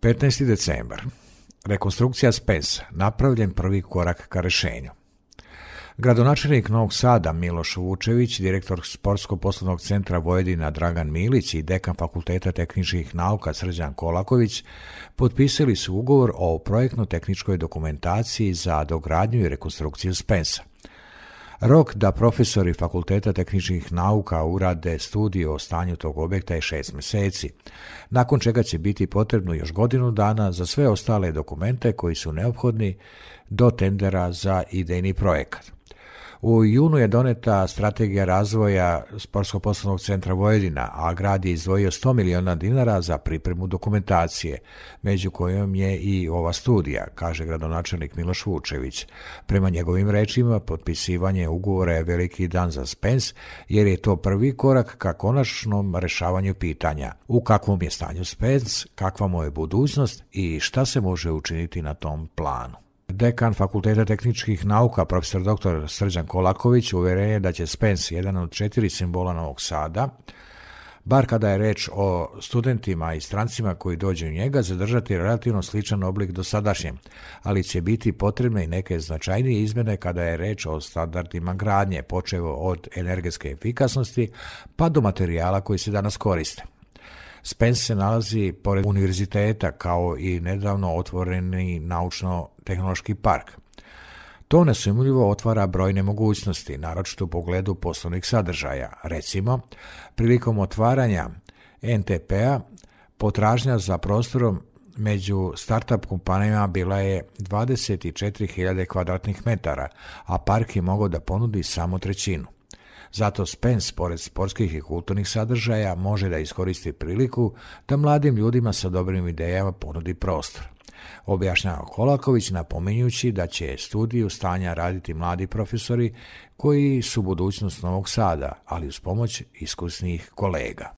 15. decembar. Rekonstrukcija Spensa. Napravljen prvi korak ka rešenju. Gradonačelnik Novog Sada Miloš Vučević, direktor Sportsko-poslovnog centra Vojvodina Dragan Milić i dekan Fakulteta tehničkih nauka Srđan Kolaković potpisali su ugovor o projektno-tehničkoj dokumentaciji za dogradnju i rekonstrukciju Spensa. Rok da profesori Fakulteta tehničkih nauka urade studiju o stanju tog objekta je 6 meseci, nakon čega će biti potrebno još godinu dana za sve ostale dokumente koji su neophodni do tendera za idejni projekat. U junu je doneta strategija razvoja Sportsko-poslovnog centra Vojvodina, a grad je izdvojio 100 miliona dinara za pripremu dokumentacije, među kojom je i ova studija, kaže gradonačelnik Miloš Vučević. Prema njegovim rečima, potpisivanje ugovora je veliki dan za Spens, jer je to prvi korak ka konačnom rešavanju pitanja. U kakvom je stanju Spens, kakva mu je budućnost i šta se može učiniti na tom planu. Dekan Fakulteta tehničkih nauka, profesor dr. Srđan Kolaković, uveren je da će Spens, jedan od 4 simbola Novog Sada, bar kada je reč o studentima i strancima koji dođu u njega, zadržati relativno sličan oblik dosadašnjem, ali će biti potrebne i neke značajnije izmene kada je reč o standardima gradnje, počevo od energetske efikasnosti pa do materijala koji se danas koriste. Spens se nalazi pored univerziteta kao i nedavno otvoreni naučno-tehnološki park. To nesumnjivo otvara brojne mogućnosti, naročito u pogledu poslovnih sadržaja. Recimo, prilikom otvaranja NTP-a potražnja za prostorom među startup kompanijama bila je 24.000 kvadratnih metara, a park je mogao da ponudi samo trećinu. Zato Spens, pored sportskih i kulturnih sadržaja, može da iskoristi priliku da mladim ljudima sa dobrim idejama ponudi prostor. Objašnjava Kolaković, napominjući da će studiju stanja raditi mladi profesori koji su budućnost Novog Sada, ali uz pomoć iskusnih kolega.